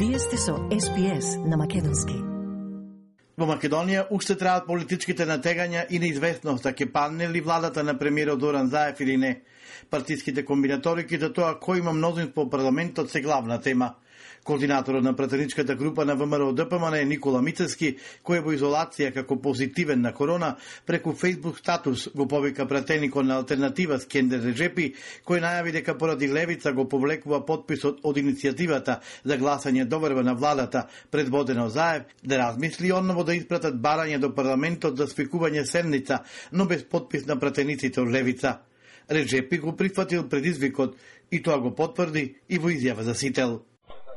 Вие сте со SPS на македонски. Во Македонија уште траат политичките натегања и неизвестност ќе падне ли владата на премиерот Зоран Заев или не. Партиските комбинаторики за тоа кој има мнозинство во парламентот се главна тема. Координаторот на пратеничката група на ВМРО ДПМН е Никола Мицевски, кој е во изолација како позитивен на корона, преку Facebook статус го повика пратеникот на алтернатива Скендер Реджепи, кој најави дека поради левица го повлекува подписот од иницијативата за гласање доверба на владата предводена од Заев, да размисли онново да испратат барање до парламентот за свикување седница, но без подпис на пратениците од левица. Реджепи го прифатил предизвикот и тоа го потврди и во изјава за Сител.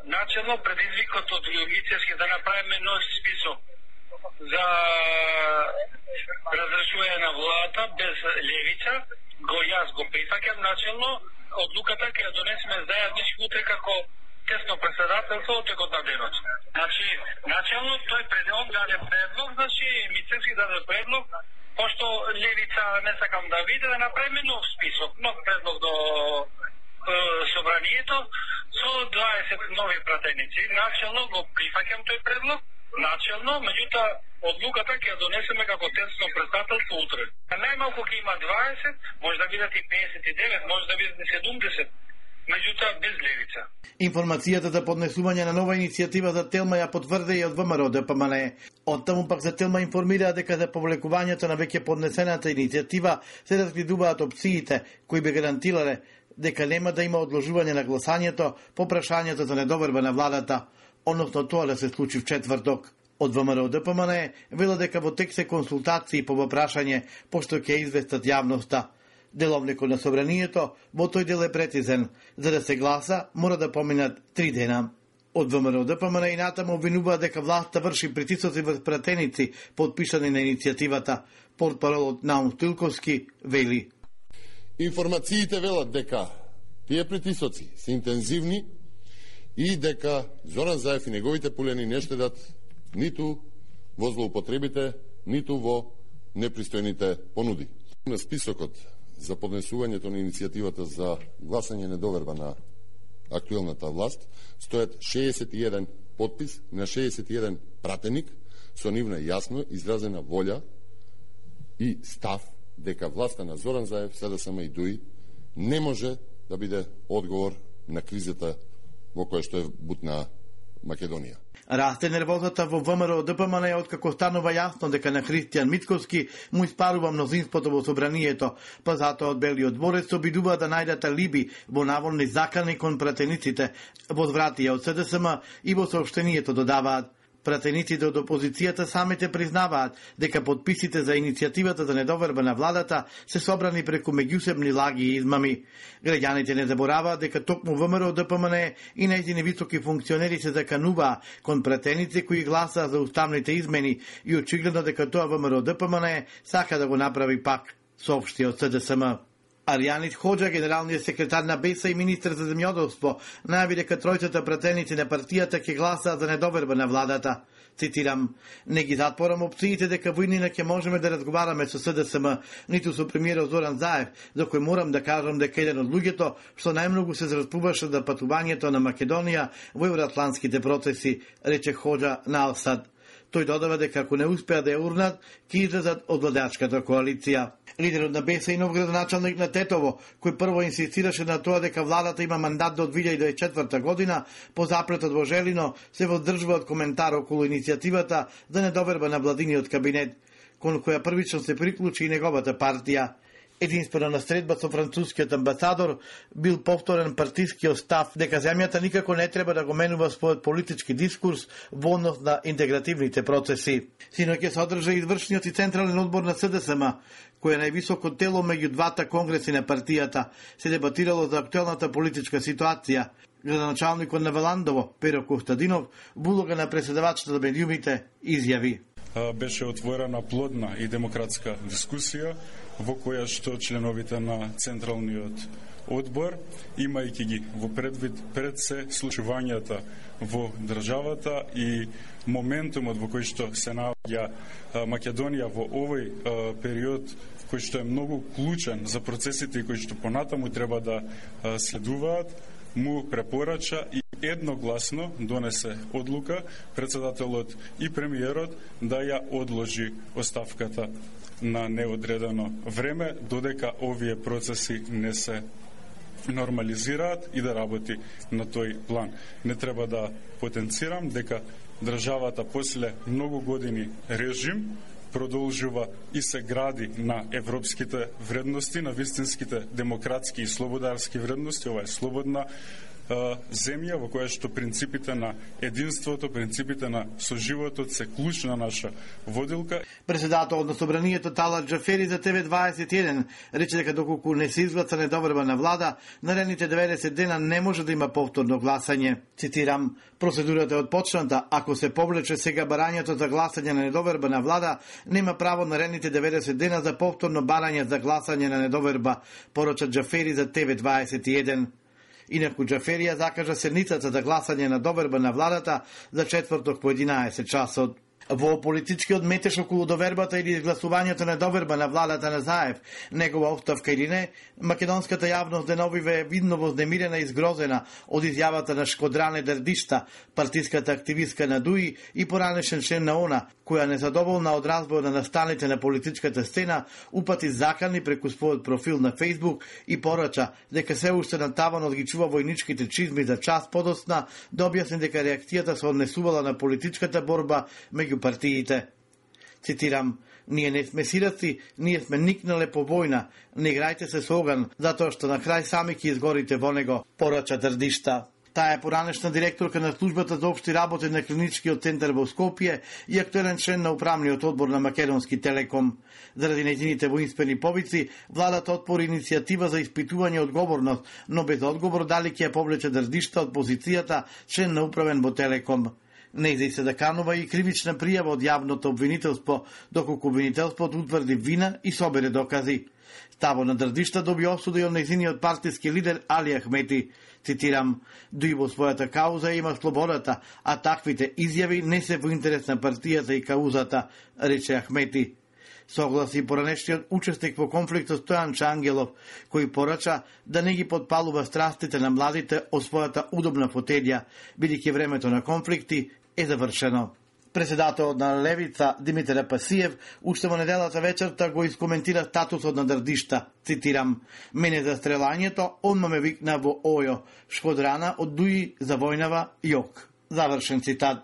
Начелно предизвикот од Мицевски да направиме нов список за разрешување на владата без левица, јас го прифаќам начелно, одлуката ќе ја донесеме заеднички утре како тесно председателство од текот на денот. Значи, начелно тој он даде предлог, значи Мицевски даде предлог, пошто левица не сакам да види, да направиме нов список, нов предлог до собранието со 20 нови пратеници. Начелно го прифаќам тој предлог, начелно, меѓутоа одлуката ќе ја донесеме како тесно председателство утре. Најмалку ќе има 20, може да бидат и 59, може да бидат и 70, меѓутоа без левица. Информацијата за поднесување на нова иницијатива за Телма ја потврди и од ВМРО ДПМН. Оттаму пак за Телма информираа дека за повлекувањето на веќе поднесената иницијатива се разгледуваат опциите кои би гарантирале дека нема да има одложување на гласањето по прашањето за недоверба на владата, односно тоа да се случи в четврток. Од ВМРО ДПМН вела дека во тек се консултации по прашање, пошто ќе известат јавноста. Деловникот на собранието во тој дел е прецизен. За да се гласа, мора да поминат 3 дена. Од ВМРО ДПМН и натаму обвинуваат дека власта врши притисоци врз пратеници подпишани на иницијативата. Портпаролот Наум Стилковски вели: Информациите велат дека тие притисоци се интензивни и дека Зоран Заев и неговите пулени не штедат ниту во злоупотребите, ниту во непристојните понуди. На списокот за поднесувањето на иницијативата за гласање недоверба на актуелната власт стојат 61 подпис на 61 пратеник со нивна јасно изразена волја и став дека власта на Зоран Заев, СДСМ и ДУИ не може да биде одговор на кризата во која што е бутна Македонија. Расте нервозата во ВМРО ДПМН откако станува јасно дека на Христијан Мицковски му испарува мнозинството во собранието, па затоа од Белиот дворец се обидува да најдат алиби во наводни закани кон пратениците, возвратија од СДСМ и во соопштението додаваат. Пратениците од опозицијата самите признаваат дека подписите за иницијативата за недоверба на владата се собрани преку меѓусебни лаги и измами. Граѓаните не забораваат дека токму ВМРО ДПМН и нејзини високи функционери се закануваа кон пратеници кои гласаа за уставните измени и очигледно дека тоа ВМРО ДПМН сака да го направи пак, соопшти од СДСМ. Аријанис Хоџа, генералниот секретар на БЕСА и министр за земјоделство, најави дека тројцата пратеници на партијата ќе гласаат за недоверба на владата. Цитирам: "Не ги затворам опциите дека во иднина ќе можеме да разговараме со СДСМ, ниту со премиерот Зоран Заев, за кој морам да кажам дека еден од луѓето што најмногу се зраспуваше за патувањето на Македонија во евроатлантските процеси", рече Хоџа на Алсад. Тој додава дека ако не успеа да ја урнат, ќе излезат од владачката коалиција. Лидерот на БЕСА и нов градоначалник на Тетово, кој прво инсистираше на тоа дека владата има мандат до 2024 година, по запретот во Желино се воздржува од коментар околу иницијативата за недоверба на владиниот кабинет, кон која првично се приклучи и неговата партија. Единствено на средба со францускиот амбасадор бил повторен партискиот став дека земјата никако не треба да го менува својот политички дискурс во однос на интегративните процеси. Синоќ се одржа извршниот и централен одбор на СДСМ, кој е највисоко тело меѓу двата конгреси на партијата, се дебатирало за актуелната политичка ситуација. Градоначалникот на Веландово, Перо Костадинов, во улога на преседавачот на медиумите, изјави: "Беше отворена плодна и демократска дискусија во која што членовите на Централниот одбор, имајќи ги во предвид пред се случувањата во државата и моментумот во кој што се наоѓа Македонија во овој период, кој што е многу клучен за процесите и кои што понатаму треба да следуваат, му препорача и Едногласно донесе одлука председателот и премиерот да ја одложи оставката на неодредено време додека овие процеси не се нормализираат и да работи на тој план. Не треба да потенцирам дека државата после многу години режим продолжува и се гради на европските вредности, на вистинските демократски и слободарски вредности. Ова е слободна земја во која што принципите на единството, принципите на соживотот се клучна наша водилка. Председателот на Собранието Талат Џафери за ТВ21 рече дека доколку не се изгласа недоврбана влада, наредните 90 дена не може да има повторно гласање. Цитирам: процедурата е отпочната, ако се повлече сега барањето за гласање на недовербана влада, нема право наредните 90 дена за повторно барање за гласање на недоверба, порача Џафери за ТВ21. Инаку Џафери ја закажа седницата за гласање на доверба на владата за четврток по 11 часот. Во политичкиот метеж околу довербата или изгласувањето на доверба на владата на Заев, негова оставка или не, македонската јавност деновиве е видно вознемирена и згрозена од изјавата на Шкодране Дердишта, партиската активистка на ДУИ и поранешен член на ОНА, која незадоволна од разбој на настаните на политичката сцена, упати закани преку својот профил на Фејсбук и порача дека се уште на таванот ги чува војничките чизми за час подоцна, да објасни дека реакцијата се однесувала на политичката борба меѓу партиите. Цитирам: ние не сме сираци, ние сме никнале по војна, не играјте се со оган, затоа што на крај сами ќе изгорите во него, порача Дердишта. Таа е поранешна директорка на службата за општи работи на клиничкиот центар во Скопје и актуелен член на управниот одбор на Македонски Телеком. Заради нејзините воинствени повици, владата отпори иницијатива за испитување одговорност, но без одговор дали ќе ја повлече Дердишта од позицијата член на управен во Телеком. Нејзе се даканува и кривична пријава од јавното обвинителство, доколку обвинителството утврди вина и собере докази. Таво на Дердишта доби осуда и од нејзиниот партиски лидер Али Ахмети. Цитирам: дуи во својата кауза има слободата, а таквите изјави не се во интерес на партијата и каузата, рече Ахмети. Согласи поранешниот учесник во конфликтот Стојан Чангелов, кој порача да не ги подпалува страстите на младите од својата удобна фотелја, бидејќи времето на конфликти е завршено. Председателот на Левица Димитар Апасиев уште во неделата вечерта го искоментира статусот на Дердишта. Цитирам: мене за стрелањето одма ме викна во Ојо, Шкодрана од ДУИ за војнава Јок. Завршен цитат.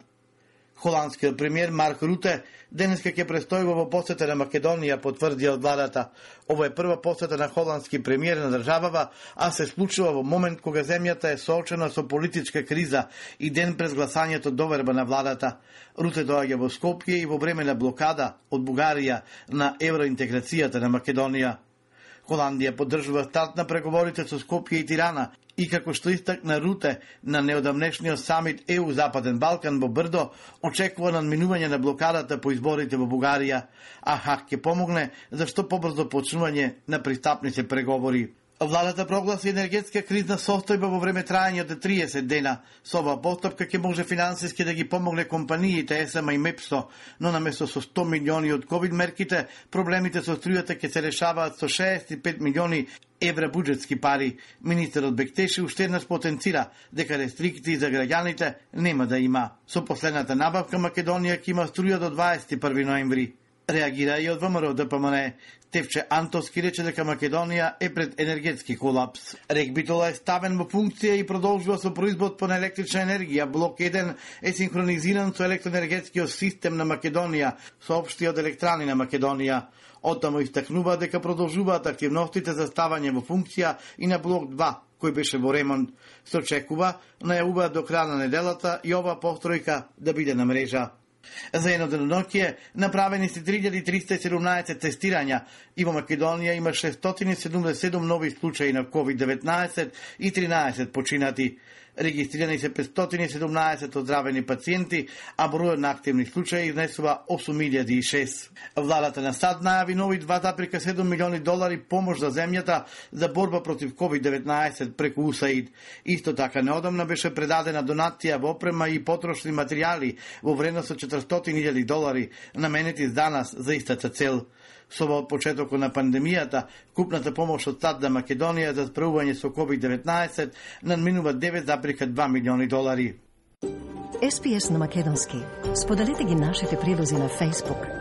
Холандскиот премиер Марк Руте денеска ќе престојува во посета на Македонија, потврди од владата. Ова е прва посета на холандски премиер на државава, а се случува во момент кога земјата е соочена со политичка криза и ден пред гласањето доверба на владата. Руте доаѓа во Скопје и во време на блокада од Бугарија на евроинтеграцијата на Македонија. Холандија поддржува старт на преговорите со Скопје и Тирана и како што истакна Руте на неодамнешниот самит ЕУ Западен Балкан во Брдо, очекува надминување на блокадата по изборите во Бугарија, а ХАК ќе помогне за што побрзо почнување на пристапните преговори. Владата прогласи енергетска кризна состојба во време трајање од 30 дена. Со оваа постапка ќе може финансиски да ги помогне компаниите ЕСМА и МЕПСО, но наместо со 100 милиони од ковид мерките, проблемите со струјата ќе се решаваат со 65 милиони евра буџетски пари. Министерот Бектеши уште еднаш потенцира дека рестрикции за граѓаните нема да има. Со последната набавка Македонија ќе има струја до 21 ноември. Реагира и од ВМРО ДПМН. Тевче Антовски рече дека Македонија е пред енергетски колапс. РЕК Битола е ставен во функција и продолжува со производство на електрична енергија. Блок 1 е синхронизиран со електроенергетскиот систем на Македонија, соопшти од Електрани на Македонија. Оттаму истакнува дека продолжуваат активностите за ставање во функција и на блок 2, кој беше во ремонт. Се очекува најавуваат до крај на неделата и ова постројка да биде на мрежа. За едно деноноќие направени се 3317 тестирања и во Македонија има 677 нови случаи на COVID-19 и 13 починати. Регистрирани се 517 оздравени пациенти, а бројот на активни случаи изнесува 8006. Владата на САД најави нови $2,7 милиони помош за земјата за борба против COVID-19 преку УСАИД. Исто така неодамна беше предадена донација во опрема и потрошни материјали во вредност од $400,000 наменети за нас за истата цел. Со почетокот на пандемијата, купната помош од САД за Македонија за справување со COVID-19 надминува $9,2 милиони. SPS на македонски. Споделете ги нашите прилози на Facebook,